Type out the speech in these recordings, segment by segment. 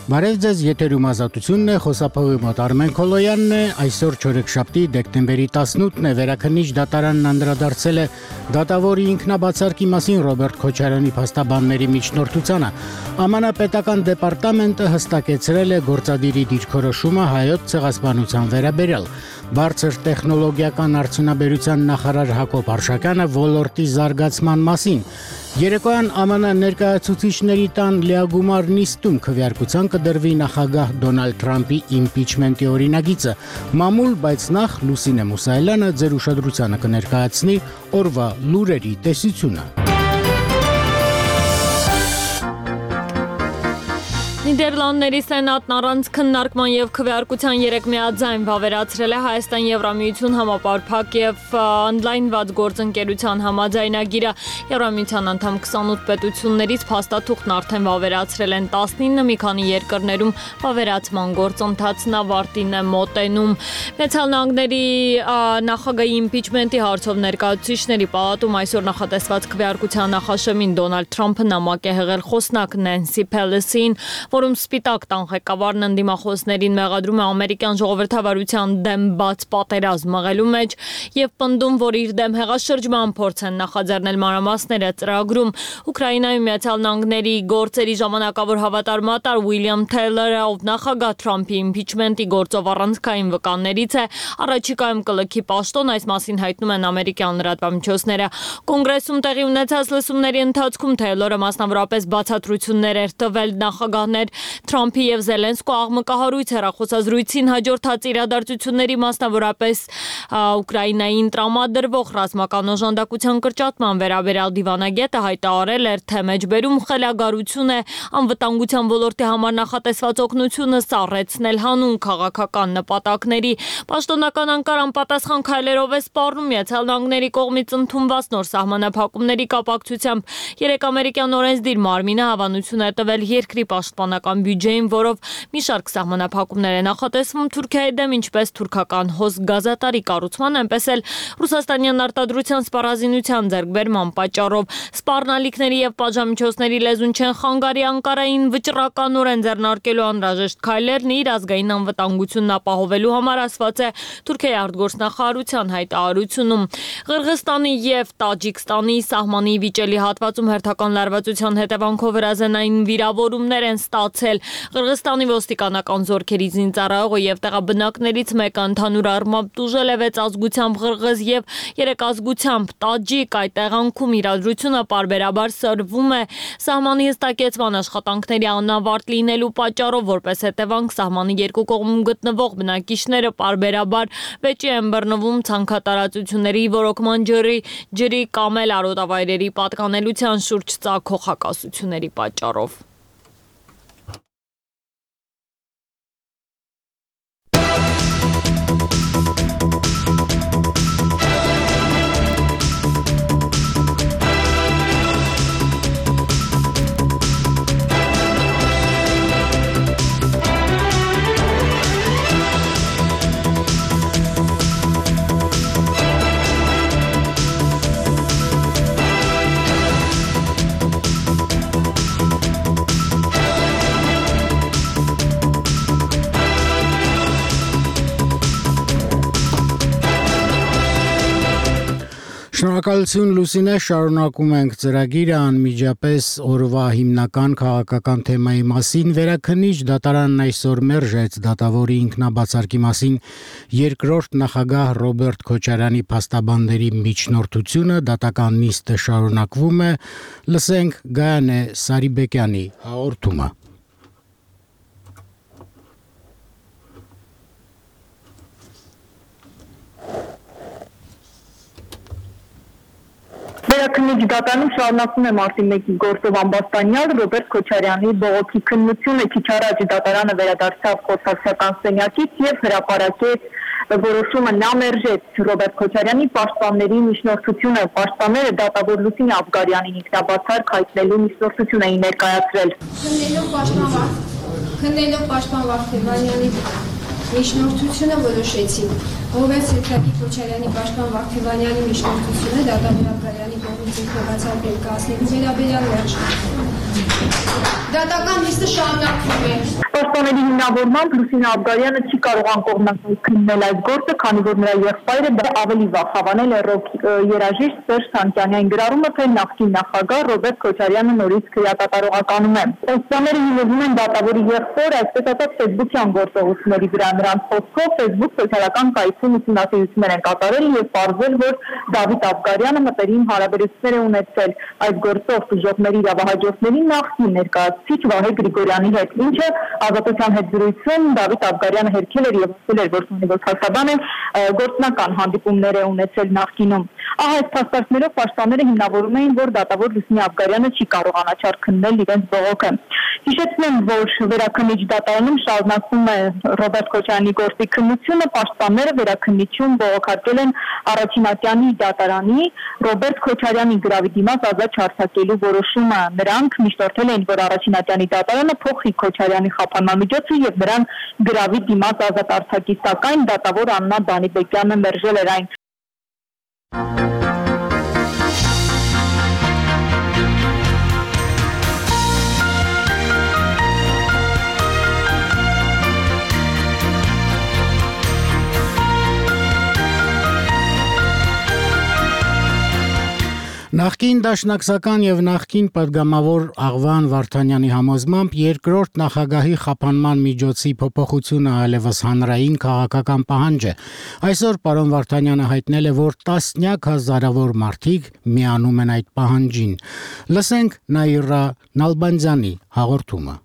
Բարև ձեզ, եթերում Ազատությունն է, խոսափողի մոտ Արմեն Քոլոյանն է, այսօր չորեքշաբթի դեկտեմբերի 18-ն է, Վերաքննիչ դատարանն անդրադարձել է դատավորի ինքնաբացարկի մասին Ռոբերտ Քոչարյանի փաստաբանների միջնորդությանը։ ԱՄՆ պետական դեպարտամենտը հստակեցրել է գործադիրի դիրքորոշումը Հայոց ցեղասպանության վերաբերյալ։ Բարձր տեխնոլոգիական արդյունաբերության նախարար Հակոբ Արշակյանը ոլորտի զարգացման մասին։ Երեկոյան ԱՄՆ ներկայացուցիչների տան լիագումար նիստում քվեարկության կդրվի նախագահ Դոնալդ Թրամփի իմպիչմենտի օրինագիծը։ Մամուլ, բայց նախ Լուսինե Մուսայելյանը ձեր ուշադրությանը կներկայացնի օրվա լուրերի տեսությունը։ Նիդերլանդների սենատն առանց քննարկման եւ քվեարկության 3 միաձայն վավերացրել է Հայաստան-Եվրամիություն համապարփակ եւ օնլայնված գործընկերության համաձայնագիրը։ Եվրամիության անդամ 28 պետություններից փաստաթուղթն արդեն վավերացրել են 19, մի քանի երկրներում վավերացման գործընթացն ավարտին է մոտենում։ Միացյալ Նահանգների նախագահի իմպիչմենտի հարցով ներկայացուցիչների պալատում այսօր նախատեսված քվեարկության նախաշեմին Դոնալդ Թրամփը նամակ է հղել խոսնակ Նենսի Փելոսին, որում Սպիտակ տան ղեկավարն ընդդիմախոսներին մեղադրում է ամերիկյան ժողովրդավարության դեմ բաց պատերազմ մղելու մեջ եւ պնդում, որ իր դեմ հեղաշրջման փորձ են նախաձեռնել մանրամասները ծրագրում։ Ուկրաինայում Միացյալ Նահանգների գործերի ժամանակավոր հավատարմատար Ուիլյամ Թեյլորը, ով նախագահ Թրամփի իմպիչմենտի գործով առանցքային վկաններից է, առաջիկայում կլքի պաշտոն, այս մասին հայտնում են ամերիկյան լրատվամիջոցները։ Կոնգրեսում տեղի ունեցած լսումների ընթացքում Թեյլորը մասնավորապես բացատրություններ էր տվել նախագահներ Թրամփի եւ Զելենսկու աղմկահարույց հեռախոսազրույցին հաջորդած իրադարձությունների, մասնավորապես Ուկրաինային տրամադրվող ռազմական օժանդակության կրճատման վերաբերյալ դիվանագետը հայտարարել էր, թե մեջբերում խելագարություն է անվտանգության ոլորտի համար նախատեսված օգնությունը սառեցնել հանուն քաղաքական նպատակների։ Պաշտոնական Անկարան պատասխան քայլերով է սպառնում Միացյալ Նահանգների կողմից ընդունված նոր սահմանափակումների կապակցությամբ։ 3 ամերիկյան օրենսդիր մարմինը հավանություն է տվել երկրի պաշտպանական բյուջեին, որով մի շարք սահմանափակումներ է նախատեսվում Թուրքիայի դեմ, ինչպես թուրքական հոս գազատարի կառուցման, այնպես էլ ռուսաստանյան արտադրության սպառազինության ձեռքբերման պատճառով։ Սպառնալիքների եւ պատժամիջոցների լեզուն չեն խանգարի Անկարային վճռականորեն ձեռնարկելու անհրաժեշտ քայլերն իր ազգային անվտանգությունն ապահովելու համար, ասված է Թուրքիայի արտգործնախարարության հայտարարությունում։ Ղրղստանի եւ Տաջիկստանի սահմանի վիճելի հատվածում հերթական լարվածության հետևանքով հրազենային վիրավորումներ են ստացել։ Ղրղստանի ոստիկանական զորքերի զինծառայողը եւ տեղաբնակներից մեկը ընդհանուր առմամբ տուժել է 6 ազգությամբ ղրղզ եւ 3 ազգությամբ տաջիկ։ Այդ տեղանքում իրադրությունը պարբերաբար սրվում է սահմանի հստակեցման աշխատանքների անավարտ լինելու պատճառով, որպես հետևանք սահմանի երկու կողմում գտնվող բնակիչները պարբերաբար վեճի են բռնվում ցանքատարածությունների ոռոգման ջրի կամ էլ արոտավայրերի պատկանելության շուրջ ծագող հակասությունների պատճառով։ Շնորհակալություն Լուսինե, շարունակում ենք ծրագիրը անմիջապես օրվա հիմնական քաղաքական թեմայի մասին։ Վերաքննիչ դատարանն այսօր մերժեց դատավորի ինքնաբացարկի մասին երկրորդ նախագահ Ռոբերտ Քոչարյանի փաստաբանների միջնորդությունը, դատական նիստը շարունակվում է։ Լսենք Գայանե Սարիբեկյանի հաղորդումը։ Վերաքննիչ դատարանում շարունակվում է մարտի 1-ի գործով ամբաստանյալ Ռոբերտ Քոչարյանի բողոքի քննությունը։ Քիչ առաջ դատարանը վերադարձավ խոսակցական սենյակից եւ հրապարակեց որոշումը, նա մերժեց Ռոբերտ Քոչարյանի պաշտպանների միջնորդությունը։ Պաշտպանները դատավոր Լուսինե Աբգարյանին ինքնաբացարկ հայտնելու միջնորդություն էին ներկայացրել։ Քննելով պաշտպան Վարդգեսյանի միջնորդությունը որոշեցի Ռոբերտ Քոչարյանի պաշտպան Վարդգեսյանի միջնորդությունը դատավոր Աբգարյանի կողմից ինքնաբացարկել կազմելու վերաբերյալ վերջնական Դատական նիստը շարունակվում է։ Պաշտպանների հիմնավորմամբ Լուսինե Աբգարյանը չի կարողան կողմնակցել այս գործը, քանի որ նրա եղբայրը ավելի վաղ հավանել է ռոք երաժիշտ Սերժ Սանկյանին, գրառումը թե նախկին նախագահ Ռոբերտ Քոչարյանը նորից քրեակատարողականում է։ Պաշտպանները հիմնվում են դատավորի եղբոր, այսպես ասած, ֆեյսբուքյան գործողությունների վրա, նրանց խոսքով Facebook սոցիալական կայքում ուսումնասիրություններ են կատարել եւ պարզվել, որ Դավիթ Աբգարյանը մտերիմ հարաբերություններ է ունեցել այդ գործով տուժողների իրավահաջորդների նախկին ներկայացուցիչ Վահե Գրիգորյանի հետ, ինչը Ազատության հետ զրույցում Դավիթ Աբգարյանը հերքել էր եւ ասել էր, որ փաստաբանը գործնական հանդիպումներ է ունեցել նախկինում։ Ահա այս փաստարկներով պաշտպանները հիմնավորում էին, որ դատավոր Լուսինե Աբգարյանը չի կարող անաչառ քննել իրենց բողոքը։ Հիշեցնեմ, որ վերաքննիչ դատարանում շարունակվում է Ռոբերտ Քոչարյանի գործի քննությունը, պաշտպանները վերաքննիչում բողոքարկել են Առաջինատյանի դատարանի Ռոբերտ Քոչարյանի գրավի դիմաց ազատ չարձակելու որոշումը։ Նրանք միշտորթել էին, որ Առաջինատյանի դատարանը փոխի Քոչարյանի խափանման միջոցը եւ նրան գրավի դիմաց ազատ արձակի, սակայն դատավոր Աննա Դանիբեկյանը մերժել էր այն։ Նախկին դաշնակցական եւ նախկին պատգամավոր Աղվան Վարդանյանի համոզմամբ երկրորդ նախագահի խափանման միջոցի փոփոխությունը այլևս հանրային քաղաքական պահանջ է։ Այսօր պարոն Վարդանյանը հայտնել է, որ տասնյակ հազարավոր մարդիկ միանում են այդ պահանջին։ Լսենք Նաիրա Նալբանդյանի հաղորդումը։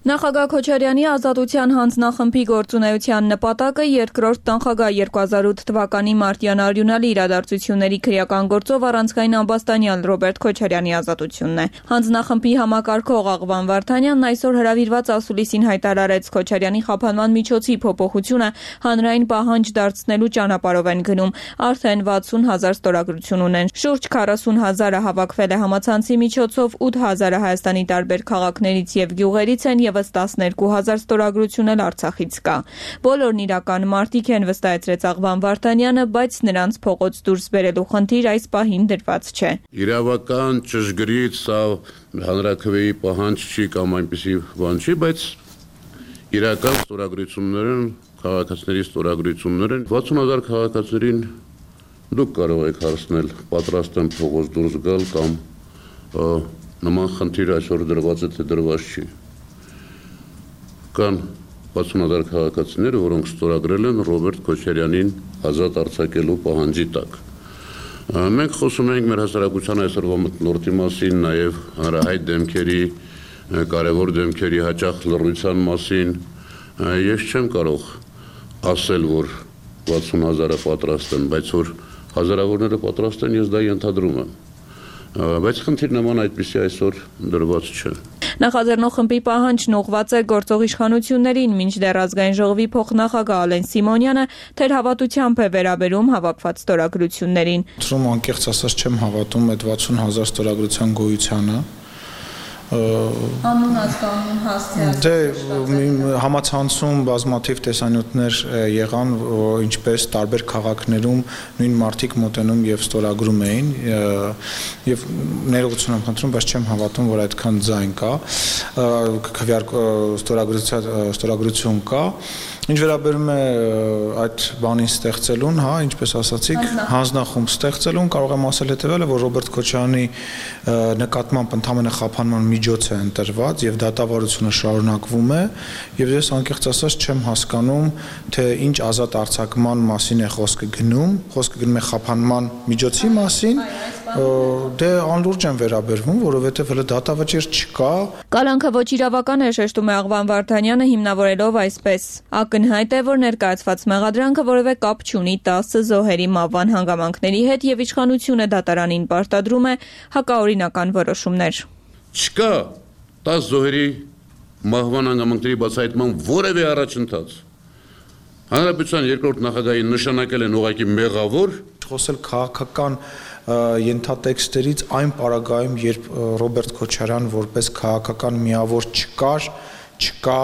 Նախագահ Քոչարյանի ազատության հանձնախմբի գործունեության նպատակը երկրորդ նախագահ 2008 թվականի մարտյան արյունալի իրադարձությունների քրեական գործով առանցքային ամբաստանյալ Ռոբերտ Քոչարյանի ազատությունն է։ Հանձնախմբի համակարգող Աղվան Վարդանյանն այսօր հրավիրված ասուլիսին հայտարարեց Քոչարյանի խափանման միջոցի փոփոխությունը հանրային պահանջ դարձնելու ճանապարհով են գնում։ Արդեն 60,000 ստորագրություն ունեն։ Շուրջ 40,000-ը հավաքվել է համացանցի միջոցով, 8,000-ը Հայաստանի տարբեր քաղաքներից եւ գյուղերից են, եւս 12,000 ստորագրություն էլ Արցախից կա։ Բոլորն իրական մարտիկ են, վստահեցրեց Աղվան Վարդանյանը, բայց նրանց փողոց դուրս բերելու խնդիր այս պահին դրված չէ։ Իրավական ճշգրիտ սա հանրաքվեի պահանջ չի կամ այնպիսի բան չի, բայց իրական ստորագրություններ են, քաղաքացիների ստորագրություններ են, 60,000 քաղաքացիներին դուք կարող եք հարցնել, պատրաստ են փողոց դուրս գալ կամ նման խնդիր այսօր դրված է, թե դրված չի։ Կան 60,000 քաղաքացիներ, որոնք ստորագրել են Ռոբերտ Քոչարյանին ազատ արձակելու պահանջի տակ։ Մենք խոսում ենք մեր հասարակության այսօրվա մթնոլորտի մասին, նաև հանրահայտ դեմքերի, կարևոր դեմքերի հաճախ լռության մասին։ Ես չեմ կարող ասել, որ 60,000-ը պատրաստ են, բայց որ հազարավորները պատրաստ են, ես դա ենթադրում եմ։ Բայց խնդիր նման այդպիսի այսօր դրված չէ։ Նախաձեռնող խմբի պահանջն ուղղված է գործող իշխանություններին, մինչդեռ ազգային ժողովի փոխնախագահ Ալեն Սիմոնյանը թերհավատությամբ է վերաբերում հավաքված ստորագրություններին։ Թվում անկեղծ ասած չեմ հավատում այդ 60,000 ստորագրության գոյությանը։ Անուն ազգանուն հասցեած։ Դե համացանցում բազմաթիվ տեսանյութներ եղան, ինչպես տարբեր քաղաքներում նույն մարդիկ մոտենում եւ ստորագրում էին եւ ներողություն եմ խնդրում, բայց չեմ հավատում, որ այդքան ձայն կա, ստորագրություն կա։ Ինչ վերաբերում է այդ բանին ստեղծելուն, հա, ինչպես ասացիք, հանձնախումբ ստեղծելուն, կարող եմ ասել հետեւյալը, որ Ռոբերտ Քոչարյանի նկատմամբ ընդհանրապես խափանման միջոց է ընտրված եւ դատավարությունը շարունակվում է, եւ ես անկեղծ ասած չեմ հասկանում, թե ինչ ազատ արձակման մասին է խոսքը գնում է խափանման միջոցի մասին, դե անլուրջ եմ վերաբերվում, որովհետեւ հələ դատավճիռ չկա։ Կալանքը ոչ իրավական է, շեշտում է Աղվան Վարդանյանը, հիմնավորելով այսպես. Ակնհայտ է, որ ներկայացված մեղադրանքը որևէ կապ չունի 10 զոհերի մահվան հանգամանքների հետ եւ իշխանությունը դատարանին պարտադրում է հակաօրինական որոշումներ։ Չկա 10 զոհերի մահվան հանգամանքների բացահայտման որևէ առաջընթաց։ Հանրապետության երկրորդ նախագահին նշանակել են ուղղակի մեղավոր, խոսել քաղաքական ենթատեքստերից այն պարագայում, երբ Ռոբերտ Քոչարյան որպես քաղաքական միավոր չկա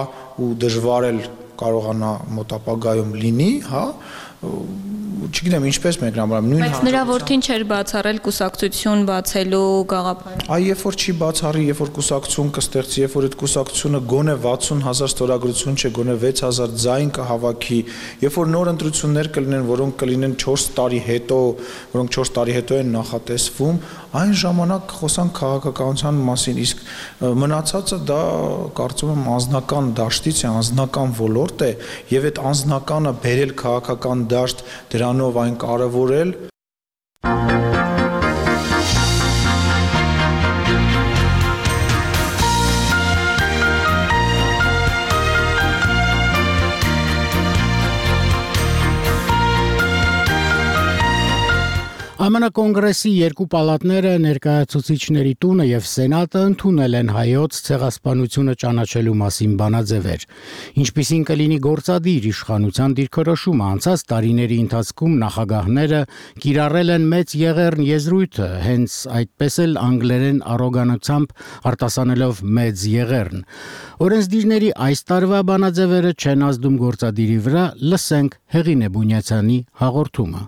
ու դժվար էլ կարողանա մոտ ապագայում լինի, հա, չգիտեմ ինչպես մեկնաբանեմ, նույն Բայց նրա որդին չէր բացառել կուսակցություն բացելու գաղափարը։ Այ երբ որ չի բացառի, երբ որ կուսակցություն կստեղծի, երբ որ այդ կուսակցությունը գոնե 60,000 ստորագրություն չէ, գոնե 6,000 ձայն կհավաքի, երբ որ նոր ընտրություններ կլինեն, որոնք կլինեն 4 տարի հետո, որոնք 4 տարի հետո են նախատեսվում, այն ժամանակ խոսանք քաղաքականության մասին, իսկ մնացածը դա կարծում եմ անձնական դաշտից է, անձնական ոլորտ է, եւ այդ անձնականը բերել քաղաքական դաշտ, դրանով այն կարևորել ԱՄՆ կոնգրեսի երկու պալատները ներկայացուցիչների տունը եւ սենատը ընդունել են հայոց ցեղասպանությունը ճանաչելու մասին բանաձևեր, ինչպիսին կլինի գործադիր իշխանության դիրքորոշումը անցած տարիների ընթացքում նախագահները կիրառել են մեծ եղեռն եզրույթը, հենց այդպես էլ անգլերեն առոգանությամբ արտասանելով մեծ եղեռն։ Օրենսդիրների այս տարվա բանաձևերը չեն ազդում գործադիրի վրա, լսենք Հեղինե Բունյացյանի հաղորդումը։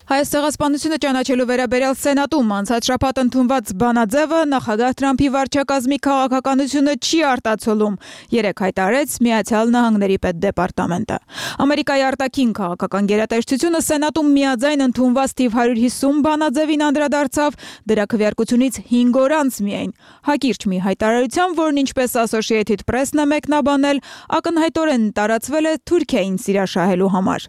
Հայոց ցեղասպանությունը ճանաչելու վերաբերյալ սենատում անցած շաբաթ ընդունված բանաձևը նախագահ Թրամփի վարչակազմի քաղաքականությունը չի արտացոլում, երեկ հայտարարեց Միացյալ Նահանգների պետդեպարտամենտը։ Ամերիկայի արտաքին քաղաքական գերատեսչությունը սենատում միաձայն ընդունված թիվ 150 բանաձևին անդրադարձավ, դրա քվեարկությունից 5 օր անց միայն։ Հակիրճ մի հայտարարության, որն ինչպես Associated Press-ն է մեկնաբանել, ակնհայտորեն տարածվել է Թուրքիային սիրաշահելու համար։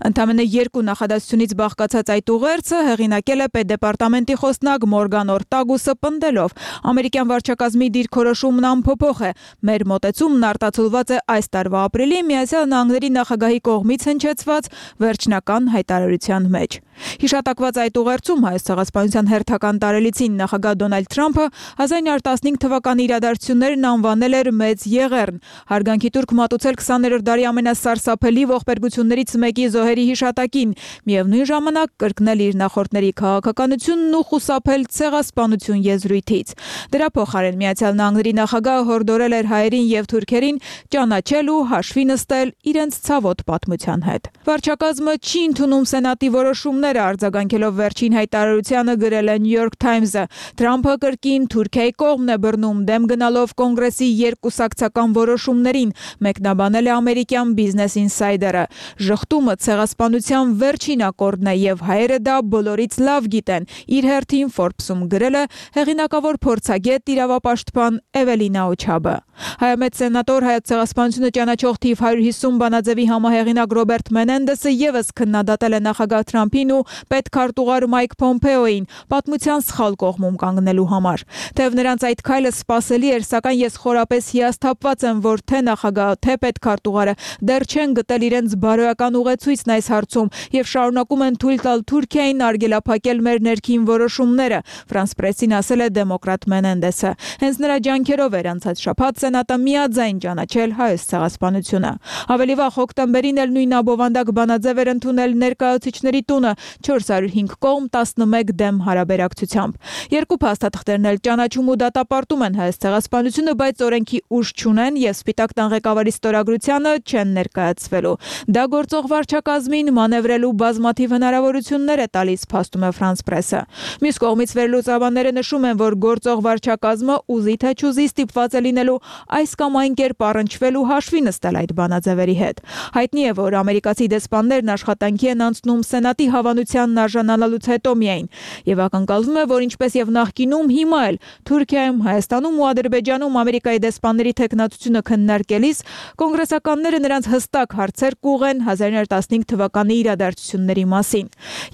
Ընդամենը 2 նախադասությունից բաղկացած այդ ուղերձը հեղինակել է պետդեպարտամենտի խոսնակ Մորգան Օրտագուսը պնդելով. ամերիկյան վարչակազմի դիրքորոշումն անփոփոխ է։ Մեր մոտեցումն արտացոլված է այս տարվա ապրիլի Միացյալ Նահանգների նախագահի կողմից հնչեցված վերջնական հայտարարության մեջ։ Հիշատակված այդ ուղերձում Հայոց ցեղասպանության հերթական տարելիցին նախագահ Դոնալդ Թրամփը 1915 թվականի իրադարձություններն անվանել էր մեծ եղեռն։ Հարգանքի տուրք մատուցել 20-րդ դարի ամենասարսափելի ողբերգություններից մեկի զոհերի հիշատակին, միևնույն ժամանակ կրկնել իր նախորդների քաղաքականությունն ու խուսափել ցեղասպանություն եզրույթից։ Դրա փոխարեն Միացյալ Նահանգների նախագահը հորդորել էր հայերին եւ թուրքերին ճանաչել ու հաշվի նստել իրենց ցավոտ պատմության հետ։ Վարչակազմը չի ընդունում սենատի որոշումները, արձագանքելով վերջին հայտարարությանը գրել է New York Times-ը։ Թրամփը կրկին Թուրքիայի կողմն է բռնում, դեմ գնալով կոնգրեսի երկուսակցական որոշումներին, մեկնաբանել է ամերիկյան Business Insider-ը։ Ժխտումը ցեղասպանության վերջին ակորդն է եւ հայերը դա բոլորից լավ գիտեն, իր հերթին Forbes-ում գրել է հեղինակավոր փորձագետ իրավապաշտպան Էվելինա Օչաբը։ Հայամետ սենատոր Հայոց ցեղասպանությունը ճանաչող թիվ 150 բանաձևի համահեղինակ Ռոբերտ Մենենդեսը եւս քննադատել է նախագահ Թրամփին ու պետքարտուղար Մայք Պոմպեոին պատմության սխալ կողմում կանգնելու համար։ Թեև նրանց այդ քայլը սպասելի էր, սակայն ես խորապես հիասթափված եմ, որ թե նախագահը, թե պետքարտուղարը դեռ չեն գտել իրենց բարոյական ուղեցույցն այս հարցում եւ շարունակում են թույլ տալ Թուրքիային արգելափակել մեր ներքին որոշումները, France Press-ին ասել է դեմոկրատ Մենենդեսը։ Հենց նրա ջանքերով էր անցած շաբաթ սենատը միաձայն ճանաչել հայոց ցեղասպանությունը։ Ավելի վաղ հոկտեմբերին էլ նույն աբովանդակ բանաձև էր ընդունել ներկայացուցիչների տունը 405 կողմ 11 դեմ հարաբերակցությամբ։ Երկու փաստաթղթերն էլ ճանաչում ու դատապարտում են հայոց ցեղասպանությունը, բայց օրենքի ուժ չունեն եւ Սպիտակ տան ղեկավարի ստորագրությանը չեն ներկայացվելու։ Դա գործող վարչակազմին մանևրելու բազմաթիվ հնարավորություններ է տալիս, փաստում է France Press-ը։ Մյուս կողմից վերլուծաբանները նշում են, որ գործող վարչակազմը ուզի թե չուզի ստիպված է լինելու այս կամ այն կերպ առնչվել ու հաշվի նստել այդ բանաձևերի հետ։ Հայտնի է, որ ամերիկացի դեսպաններն աշխատանքի են անցնում սենատի հավանությանն արժանանալուց հետո միայն, եւ ակնկալվում է, որ ինչպես եւ նախկինում, հիմա էլ Թուրքիայում, Հայաստանում ու Ադրբեջանում Ամերիկայի դեսպանների թեկնածությունը քննարկելիս կոնգրեսականները նրանց հստակ հարցեր կուղեն 1915 թվականի իրադարձությունների մասին։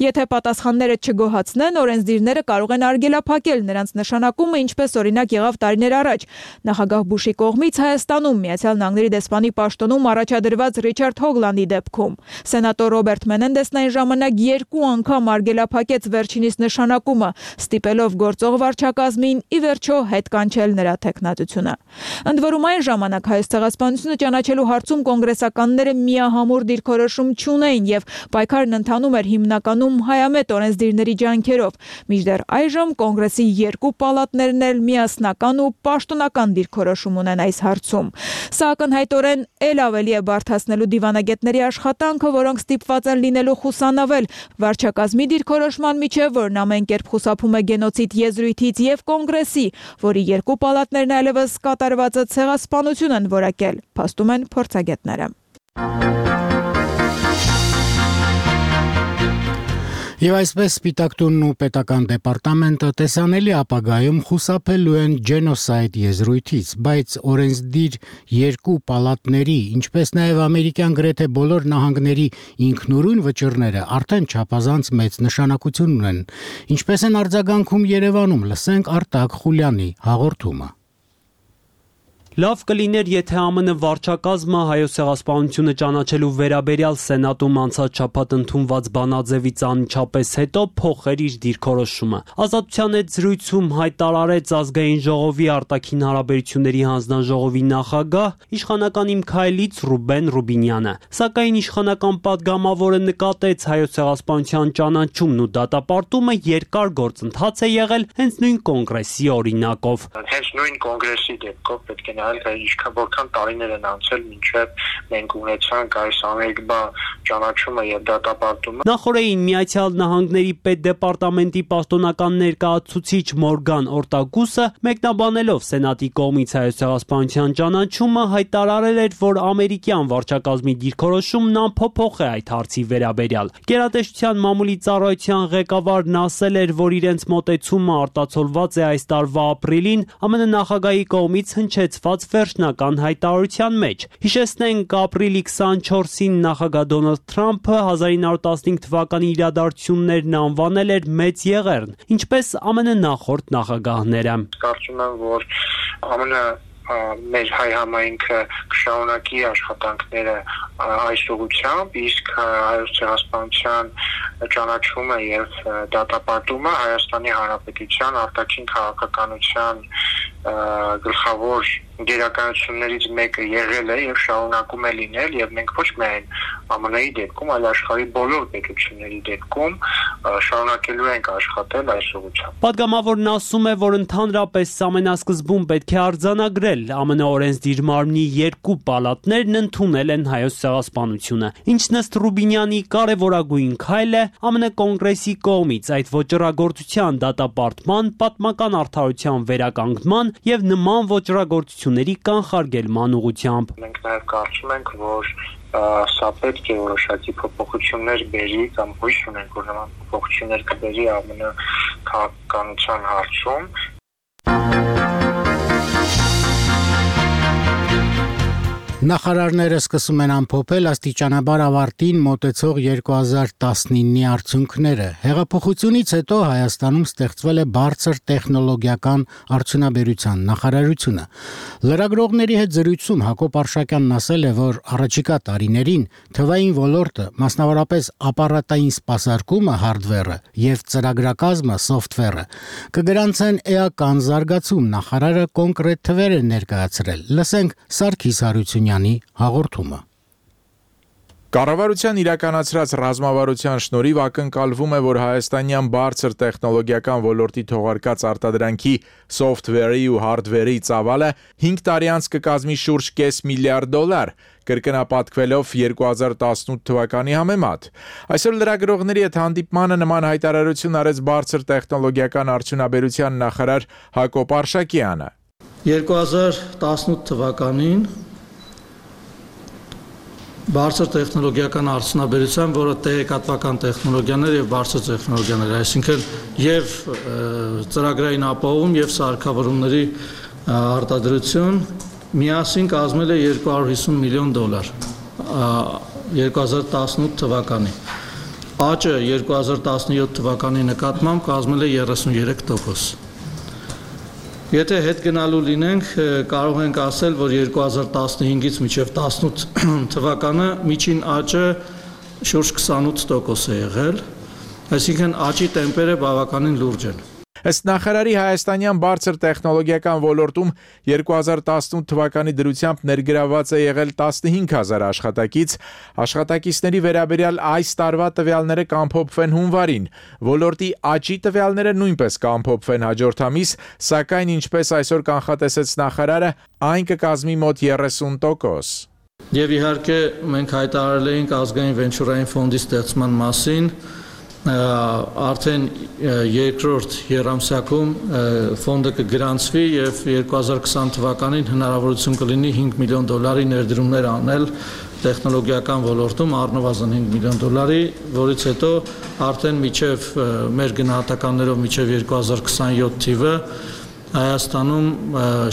Եթե պատասխանները չգոհացնեն, օրենսդիրները կարող են արգելափակել նրանց նշանակումը, ինչպես օրինակ եղավ տարիներ առաջ նախագահ Բուշի կողմից Հայաստանում Միացյալ Նահանգների դեսպանի պաշտոնում առաջադրված Ռիչարդ Հոգլանդի դեպքում։ Սենատոր Ռոբերտ Մենենդեսն այն ժամանակ 2 անգամ արգելափակեց վերջինիս նշանակումը, ստիպելով գործող վարչակազմին ի վերջո հետ կանչել նրա թեկնածությունը։ Ընդ որում այն ժամանակ հայոց ցեղասպանությունը ճանաչելու հարցում կոնգրեսականները միահամուռ դիրքորոշում չունեին եւ պայքարն ընթանում էր հիմնական հիմնականում հայամետ օրենսդիրների ջանքերով, մինչդեռ այժմ կոնգրեսի երկու պալատներն էլ միասնական ու պաշտոնական դիրքորոշում ունեն այս հարցում։ Սա ակնհայտորեն էլ ավելի է բարդացնելու դիվանագետների աշխատանքը, որոնք ստիպված են լինելու խուսանավել վարչակազմի դիրքորոշման միջև, որն ամեն կերպ խուսափում է գենոցիդ եզրույթից, եւ կոնգրեսի, որի երկու պալատներն այլևս կատարվածը ցեղասպանություն են որակել, փաստում են փորձագետները։ Եվ այսպես Սպիտակ տունն ու պետական դեպարտամենտը տեսանելի ապագայում խուսափելու են ջենոսայդ եզրույթից, բայց օրենսդիր երկու պալատների, ինչպես նաև ամերիկյան գրեթե բոլոր նահանգների ինքնուրույն վճիռները արդեն չափազանց մեծ նշանակություն ունեն։ Ինչպես են արձագանքում Երևանում, լսենք Արտակ Խուլյանի հաղորդումը։ Լավ կլիներ, եթե ԱՄՆ վարչակազմը հայոց ցեղասպանությունը ճանաչելու վերաբերյալ Սենատում անցած շաբաթ ընդունված բանաձևից անմիջապես հետո փոխեր իր դիրքորոշումը։ Ազատության հետ զրույցում հայտարարեց Ազգային ժողովի արտաքին հարաբերությունների հանձնաժողովի նախագահ, իշխանական Իմ քայլից Ռուբեն Ռուբինյանը։ Սակայն իշխանական падգամավորը նկատեց հայոց ցեղասպանության ճանաչումն ու դատապարտումը երկար գործընթաց է եղել հենց նույն կոնգրեսի օրինակով։ Հենց նույն կոնգրեսի դեպքով պետք է որքան տարիներ են անցել մինչև մենք ունեցանք այս ամերիկա ճանաչումը եւ դատապարտումը։ Նախորդին Միացյալ Նահանգների պետդեպարտամենտի պաշտոնական ներկայացուցիչ Մորգան Օրտագուսը մեկնաբանելով Սենատի կողմից հայոց ցեղասպանության ճանաչումը հայտարարել էր, որ ամերիկյան վարչակազմի դիրքորոշումն անփոփոխ է այդ հարցի վերաբերյալ։ Գերատեսչության մամուլի ծառայության ղեկավարն ասել էր, որ իրենց մոտեցումը արտացոլված է այս տարվա ապրիլին ԱՄՆ նախագահի կողմից հնչեցված վերջնական հայտարարության մեջ։ Հիշեցնենք, ապրիլի 24-ին նախագահ Դոնալդ Թրամփը 1915 թվականի իրադարձություններն անվանել էր մեծ եղեռն, ինչպես ԱՄՆ նախորդ նախագահները։ Կարծում եմ, որ ԱՄՆ մեր հայ համայնքը կշարունակի աշխատանքները այս ուղղությամբ, իսկ հայոց ցեղասպանության ճանաչումը եւ դատապարտումը Հայաստանի Հանրապետության արտաքին քաղաքականության գլխավոր գերականություններից մեկը եղել է եւ շարունակում է լինել, եւ մենք ոչ միայն ԱՄՆ-ի դեպքում, այլ աշխարհի բոլոր պետությունների դեպքում շարունակելու ենք աշխատել այս ուղղությամբ։ Պատգամավորն ասում է, որ ընդհանրապես ամենասկզբում պետք է արձանագրել ԱՄՆ օրենսդիր մարմնի երկու պալատներն ընդունել են հայոց ցեղասպանությունը, ինչն ըստ Ռուբինյանի կարևորագույն քայլ է ԱՄՆ կոնգրեսի կողմից այդ ոճռագործության դատապարտման, պատմական արդարության վերականգնման եւ նման ոճռագործությունների կանխարգելման ուղղությամբ։ Մենք նաեւ կարծում ենք, որ սա պետք է որոշակի փոփոխություններ բերի կամ հույս ունենք, որ նման փոփոխություններ կբերի ԱՄՆ քաղաքականության հարցում։ Նախարարները սկսում են ամփոփել աստիճանաբար ավարտին մոտեցող 2019-ի արդյունքները։ Հեղափոխությունից հետո Հայաստանում ստեղծվել է բարձր տեխնոլոգիական արդյունաբերության նախարարությունը։ Լրագրողների հետ զրույցում Հակոբ Արշակյանն ասել է, որ առաջիկա տարիներին թվային ոլորտը, մասնավորապես ապարատային սպասարկումը, հարդվերը եւ ծրագրակազմը, սոֆթվերը, կգրանցեն էական զարգացում։ Նախարարը կոնկրետ թվեր է ներկայացրել։ Լսենք Սարգիս Հարությունյանի հաղորդումը։ Կառավարության իրականացրած ռազմավարության շնորհիվ ակնկալվում է, որ հայաստանյան բարձր տեխնոլոգիական ոլորտի թողարկած արտադրանքի սոֆթվերի ու հարդվերի ծավալը 5 տարի անց կկազմի շուրջ $0.5 միլիարդ, կրկնապատկվելով 2018 թվականի համեմատ։ Այսօր լրագրողների հետ հանդիպմանը նման հայտարարություն արեց բարձր տեխնոլոգիական արդյունաբերության նախարար Հակոբ Արշակյանը։ 2018 թվականին բարձր տեխնոլոգիական արդյունաբերության, որը տեղեկատվական տեխնոլոգիաներ եւ բարձր տեխնոլոգիաներ, այսինքն եւ ծրագրային ապահովում եւ սարքավորումների արտադրություն միասին կազմել է $250 միլիոն 2018 թվականին։ Աճը 2017 թվականի նկատմամբ կազմել է 33%։ Եթե հետ գնալու լինենք, կարող ենք ասել, որ 2015-ից մինչև 18 թվականը միջին աճը շուրջ 28% է եղել, այսինքն աճի տեմպերը բավականին լուրջ են։ Ըստ նախարարի հայաստանյան բարձր տեխնոլոգիական ոլորտում 2018 թվականի դրությամբ ներգրաված է եղել 15000 աշխատակից, աշխատակիցների վերաբերյալ այս տարվա տվյալները կամփոփվեն հունվարին, ոլորտի աճի տվյալները նույնպես կամփոփվեն հաջորդ ամիս, սակայն ինչպես այսօր կանխատեսեց նախարարը, այն կկազմի մոտ 30%։ Եվ իհարկե մենք հայտարարել էինք ազգային վենչուրային ֆոնդի ստեղծման մասին, արդեն երկրորդ եռամսյակում ֆոնդը կգրանցվի եւ 2020 թվականին հնարավորություն կլինի $5 միլիոն ներդրումներ անել տեխնոլոգիական ոլորտում, առնվազն $5 միլիոն, որից հետո արդեն միջև մեր գնահատականներով միջև 2027 թիվը Հայաստանում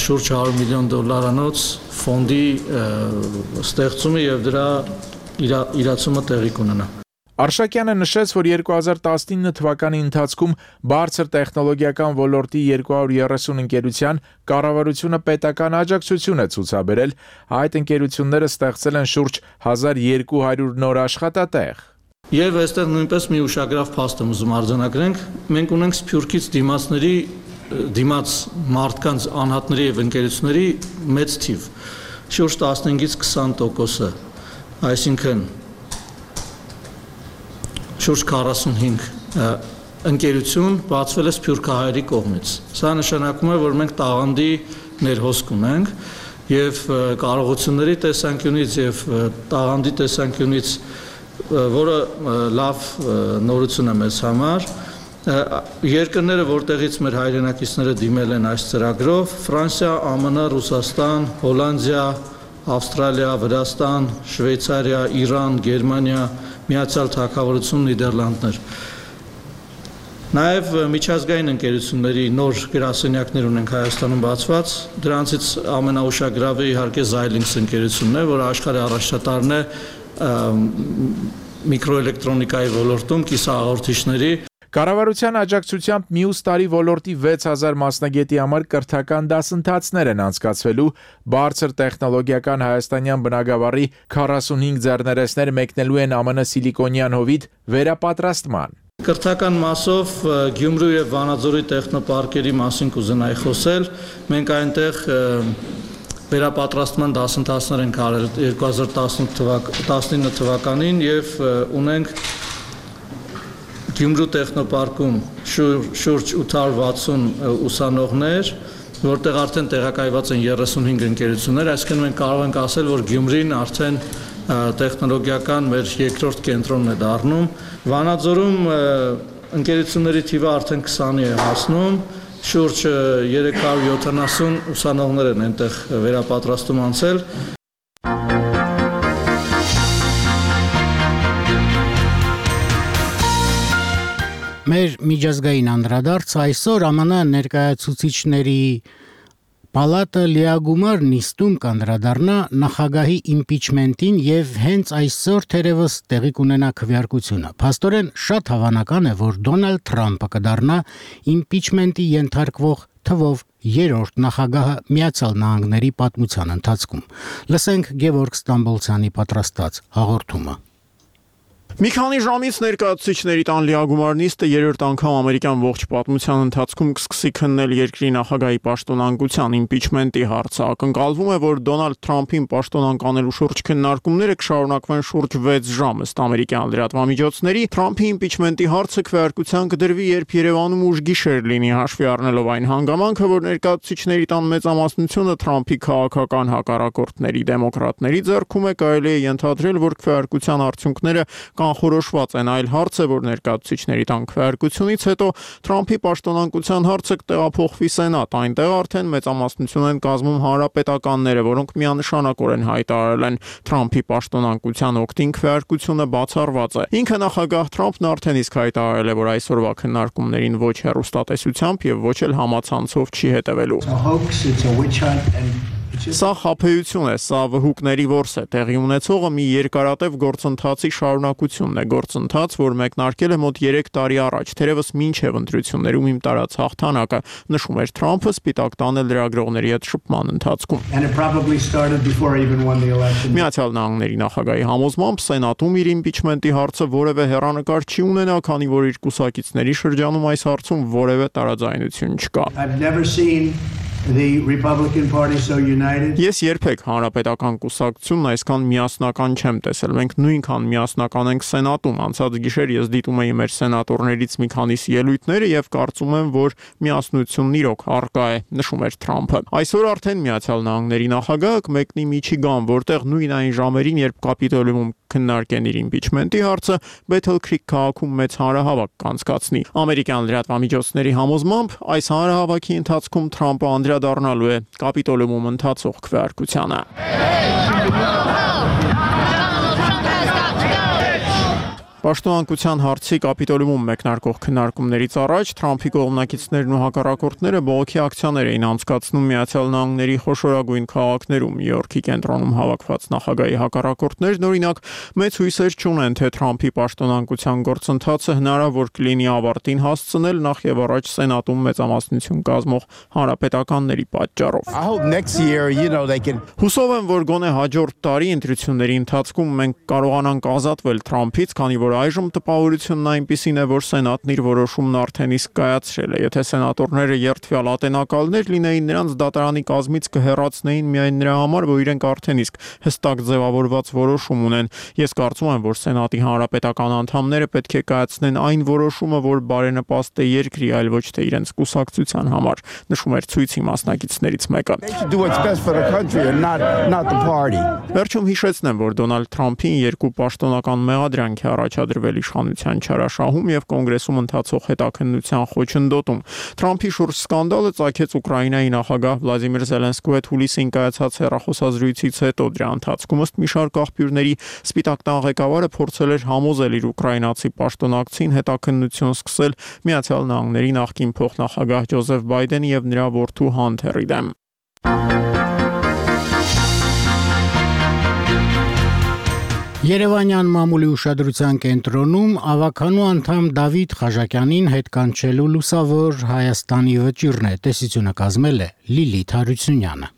շուրջ $100 միլիոն ֆոնդի ստեղծումը եւ դրա իրացումը տեղի կունենա։ Արշակյանը նշեց, որ 2019 թվականի ընթացքում բարձր տեխնոլոգիական ոլորտի 230 ընկերության կառավարությունը պետական աջակցություն է ցուցաբերել, այդ ընկերությունները ստեղծել են շուրջ 1200 նոր աշխատատեղ։ Եվ այստեղ նույնպես մի ուշագրավ փաստ եմ ուզում արձանագրենք, մենք ունենք Սփյուռքից դիմաց մարդկանց անհատների եւ ընկերությունների մեծ թիվ, շուրջ 15-ից 20%, այսինքն շուրջ 45 ընկերություն բացվել է սփյուռքահայերի կողմից։ Սա նշանակում է, որ մենք տաղանդի ներհոսք ունենք եւ կարողությունների տեսանկյունից եւ տաղանդի տեսանկյունից, որը լավ նորություն է մեզ համար։ Երկրները, որտեղից մեր հայրենակիցները դիմել են այս ծրագրով, Ֆրանսիա, ԱՄՆ, Ռուսաստան, Հոլանդիա, Ավստրալիա, Վրաստան, Շվեյցարիա, Իրան, Գերմանիա, Միացյալ Թագավորություն, Նիդերլանդներ։ Նաև միջազգային ընկերությունների նոր գրասենյակներ ունենք Հայաստանում բացված, դրանցից ամենաուշագրավը իհարկե Xilinx ընկերությունն է, որը աշխարհի առաջատարն է միկրոէլեկտրոնիկայի ոլորտում կիսահաղորդիչների։ Կառավարության աջակցությամբ մյուս տարի ոլորտի 6000 մասնագետի համար կրթական դասընթացներ են անցկացվելու, բարձր տեխնոլոգիական հայաստանյան բնագավառի 45 ձեռներեցներ մեկնելու են ԱՄՆ Սիլիկոնյան հովիտ վերապատրաստման։ Կրթական մասով Գյումրու եւ Վանաձորի տեխնոպարկերի մասին կուզենայի խոսել։ Մենք այնտեղ վերապատրաստման դասընթացներ ենք արել 2019 թվականին եւ ունենք Գյումրու տեխնոպարկում շուրջ 860 ուսանողներ, որտեղ արդեն տեղակայված են 35 ընկերություններ, այսինքն մենք կարող ենք ասել, որ Գյումրին արդեն տեխնոլոգիական մեր երկրորդ կենտրոնն է դառնում։ Վանաձորում ընկերությունների թիվը արդեն 20-ի է հասնում, շուրջ 370 ուսանողներ են այնտեղ վերապատրաստում անցել։ Մեր միջազգային անդրադարձ այսօր ԱՄՆ ներկայացուցիչների պալատը լիագումար նիստում կանդրադառնա նախագահի իմպիչմենտին եւ հենց այսօր թերևս տեղի կունենա քվեարկությունը։ Փաստորեն շատ հավանական է, որ Դոնալդ Թրամփը կդառնա իմպիչմենտի ենթարկվող թվով երրորդ նախագահը Միացյալ Նահանգների պատմության ընթացքում։ Լսենք Գևորգ Ստամբոլցյանի պատրաստած հաղորդումը։ Մի քանի ժամից ներկայացուցիչների տան լիագումար նիստը երրորդ անգամ ամերիկյան ողջ պատմության ընթացքում կսկսի քննել երկրի նախագահի պաշտոնանկության իմպիչմենտի հարցը։ Ակնկալվում է, որ Դոնալդ Թրամփին պաշտոնանկանելու շուրջ քննարկումները կշարունակվեն շուրջ 6 ժամ ըստ ամերիկյան լրատվամիջոցների։ Թրամփի իմպիչմենտի հարցը քվեարկության կդրվի, երբ Երևանում ուշ գիշեր լինի, հաշվի առնելով այն հանգամանքը, որ ներկայացուցիչների տան մեծամասնությունը Թրամփի քաղաքական հակառակորդների դեմոկրատների ձեռքում է, կարելի է ենթադրել, որ քվեարկության արդյունքները կանխորոշված են, այլ հարց է, որ ներկայացուցիչների տան քվեարկությունից հետո Թրամփի պաշտոնանկության հարցը կտեղափոխվի Սենատ, այնտեղ արդեն մեծամասնություն են կազմում հանրապետականները, որոնք միանշանակորեն հայտարարել են Թրամփի պաշտոնանկության օգտին քվեարկությունը բացառված է։ Ինքը նախագահ Թրամփն արդեն իսկ հայտարարել է, որ այսօրվա քննարկումներին ոչ հեռուստատեսությամբ եւ ոչ էլ համացանցով չի հետևելու։ Սա խաբեություն է, սա վհուկների որս է, տեղի ունեցողը մի երկարատև գործընթացի շարունակությունն է, գործընթաց, որ մեկնարկել է մոտ 3 տարի առաջ, թերևս մինչև ընտրություններում իմ տարած հաղթանակը, նշում էր Թրամփը սպիտակ տանը լրագրողների հետ շփման ընթացքում։ Միացյալ Նահանգների նախագահի համոզմամբ Սենատում իր իմպիչմենտի հարցը որևէ հեռանկար չի ունենա, քանի որ իր կուսակիցների շրջանում այս հարցում որևէ տարաձայնություն չկա։ Ես երբեք հանրապետական կուսակցությունն այսքան միասնական չեմ տեսել։ Մենք նույնքան միասնական ենք Սենատում։ Անցած գիշեր ես դիտում էի մեր սենատորներից մի քանիսի ելույթները եւ կարծում եմ, որ միասնությունն իրոք առկա է, նշում էր Թրամփը։ Այսօր արդեն Միացյալ Նահանգների նախագահը կմեկնի Միչիգան, որտեղ նույն այն ժամերին, երբ Կապիտոլիումում քննարկեն իր իմպիչմենտի հարցը, Բեթել Քրիք քաղաքում մեծ հանրահավաք կանցկացնի։ Ամերիկյան լրատվամիջոցների համոզմամբ այս հանրահավաքի ընթացքում Թրամփը անդրադառնալու է Կապիտոլիումում ընթացող քվեարկությանը։ Պաշտոնանկության հարցի Կապիտոլիումում մեկնարկող քննարկումներից առաջ Թրամփի կողմնակիցներն ու հակառակորդները բողոքի ակցիաներ էին անցկացնում Միացյալ Նահանգների խոշորագույն քաղաքներում։ Նյու Յորքի կենտրոնում հավաքված նախագահի հակառակորդներն օրինակ մեծ հույսեր չունեն, թե Թրամփի պաշտոնանկության գործընթացը հնարավոր կլինի ավարտին հասցնել նախ եւ առաջ Սենատում մեծամասնություն կազմող հանրապետականների պատճառով։ Հուսով եմ, որ գոնե հաջորդ տարի ընտրությունների ընթացքում մենք կարողանանք ազատվել Թրամփից, քանի որ այժմ տպավորությունն այնպիսին է, որ Սենատն իր որոշումն արդեն իսկ կայացրել է։ Եթե սենատորները երդվյալ ատենակալներ լինեին, նրանց դատարանի կազմից կհեռացնեին միայն նրա համար, որ իրենք արդեն իսկ հստակ ձևավորված որոշում ունեն։ Ես կարծում եմ, որ Սենատի հանրապետական անդամները պետք է կայացնեն այն որոշումը, որ բարենպաստ է երկրի, այլ ոչ թե իրենց կուսակցության համար, նշում էր ցույցի մասնակիցներից մեկը։ Վերջում հիշեցնեմ, որ Դոնալդ Թրամփին երկու պաշտոնական մեղադրանք է առաջադրվել իշխանության չարաշահում եւ կոնգրեսում ընթացող հետաքննության խոչընդոտում։ Թրամփի շուրջ սկանդալը ծագեց Ուկրաինայի նախագահ Վլադիմիր Զելենսկու հետ հուլիսին կայացած հեռախոսազրույցից հետո։ Դրա ընթացքում ըստ մի շարք աղբյուրների Սպիտակ տան ղեկավարը փորձել էր համոզել իր ուկրաինացի պաշտոնակցին հետաքննություն սկսել Միացյալ Նահանգների նախկին փոխնախագահ Ջոզեֆ Բայդենի եւ նրա որդու Հանթերի դեմ։ Երևանյան մամուլի ուշադրության կենտրոնում ավականու անդամ Դավիթ Խաչատյանին հետ կանչելու լուսավոր Հայաստանի վճիռն է, տեսությունը կազմել է Լիլիթ Հարությունյանը։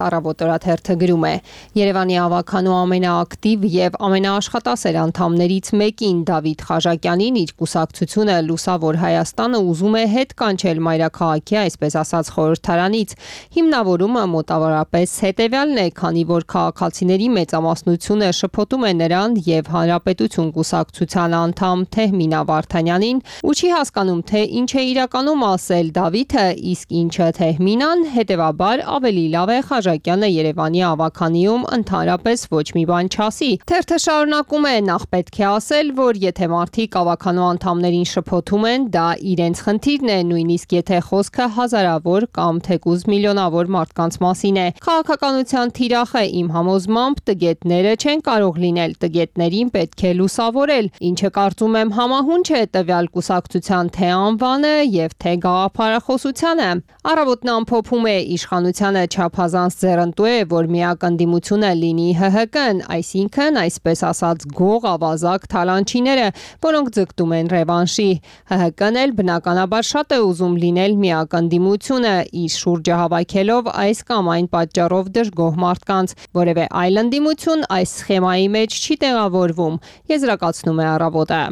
Առավոտորաթերթը գրում է. Երևանի ավականու ամենաակտիվ եւ ամենաաշխատասեր անդամներից մեկին Դավիթ Խաչատյանին իր կուսակցությունը Լուսավոր Հայաստանը ուզում է հետ կանչել մայրաքաղաքի, այսպես ասած, խորհրդարանից։ Հիմնավորումը մոտավորապես հետեւյալն է, քանի որ քաղաքացիների մեծամասնությունը շփոթում է նրան եւ Հանրապետություն կուսակցության անդամ Թեհմինա Վարդանյանին ու չի հասկանում, թե ինչ է իրականում ասել Դավիթը, իսկ ինչը Թեհմինան, հետեւաբար ավելի լավ է Խաչատյանը Երևանի ավականիում ընդհանրապես ոչ մի բան չասի։ Թերթը շարունակում է. նախ պետք է ասել, որ եթե մարդիկ ավականու անդամներին շփոթում են, դա իրենց խնդիրն է, նույնիսկ եթե խոսքը հազարավոր կամ թեկուզ միլիոնավոր մարդկանց մասին է։ Քաղաքականության թիրախը իմ համոզմամբ տգետները չեն կարող լինել, տգետներին պետք է լուսավորել, ինչը կարծում եմ համահունչ է տվյալ կուսակցության թե անվանը եւ թե գաղափարախոսությանը։ Առավոտն ամփոփում է իշխանությանը չափազանց ձեռնտու է, որ միակ ընդդիմությունը լինի ՀՀԿ-ն, այսինքն, այսպես ասած, գող ավազակ թալանչիները, որոնք ձգտում են ռևանշի։ ՀՀԿ-ն էլ բնականաբար շատ է ուզում լինել միակ ընդդիմությունը, իր շուրջը հավաքելով այս կամ այն պատճառով դժգոհ մարդկանց։ Որևէ այլ ընդդիմություն այս սխեմայի մեջ չի տեղավորվում, եզրակացնում է Առավոտը։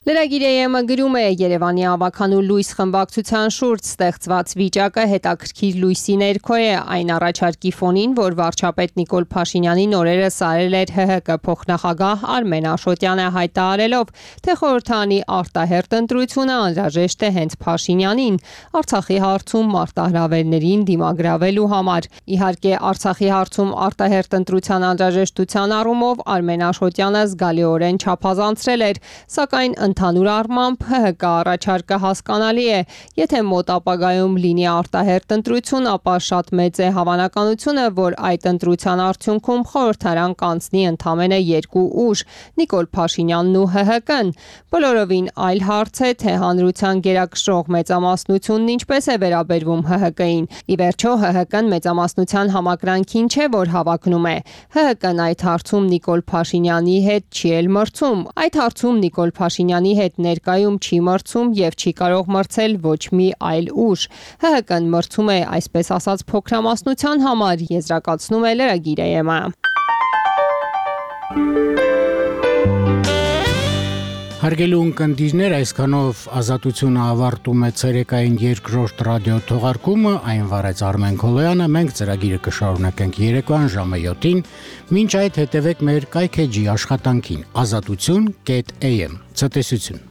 Լրագիր-ը գրում է. Երևանի ավականու լույս խմբակցության շուրջ ստեղծված վիճակը հետաքրքիր լույսի ներքո է, այն առաջարկի ֆոնին, որ վարչապետ Նիկոլ Փաշինյանին օրերս արել էր ՀՀԿ փոխնախագահ Արմեն Աշոտյանը, հայտարարելով, թե խորհրդարանի արտահերթ ընտրությունը անհրաժեշտ է հենց Փաշինյանին Արցախի հարցում մարտահրավերներին դիմագրավելու համար։ Իհարկե, Արցախի հարցում արտահերթ ընտրության անհրաժեշտության առումով Արմեն Աշոտյանը զգալիորեն չափազանցրել էր, սակայն Ընդհանուր առմամբ ՀՀԿ առաջարկը հասկանալի է, եթե մոտ ապագայում լինի արտահերթ ընտրություն, ապա շատ մեծ է հավանականությունը, որ այդ ընտրության արդյունքում խորհրդարան կանցնի ընդամենը 2 ուժ՝ Նիկոլ Փաշինյանն ու ՀՀԿ-ն։ Բոլորովին այլ հարց է, թե հանրության գերակշռող մեծամասնությունն ինչպես է վերաբերվում ՀՀԿ-ին։ Ի վերջո ՀՀԿ-ն մեծամասնության համակրանքին չէ, որ հավակնում է։ ՀՀԿ-ն այդ հարցում Նիկոլ Փաշինյանի հետ չի էլ մրցում։ Այդ հարցում Նիկոլ Փաշինյանի հետ ներկայում չի մրցում եւ չի կարող մրցել ոչ մի այլ ուժ։ ՀՀԿ-ն մրցում է այսպես ասած փոքրամասնության համար, եզրակացնում է լրագիր ԵՄ-ը։ Հարգելի ունկնդիրներ, այսքանով Ազատությունը ավարտում է ցերեկային երկրորդ ռադիո թողարկումը, այն վարեց Արմեն Քոլոյանը, մենք ծրագիրը կշարունակենք երեկոյան ժամը 7-ին, մինչ այդ հետևեք մեր կայքեջի աշխատանքին azatutsun.am։ Ցտեսություն։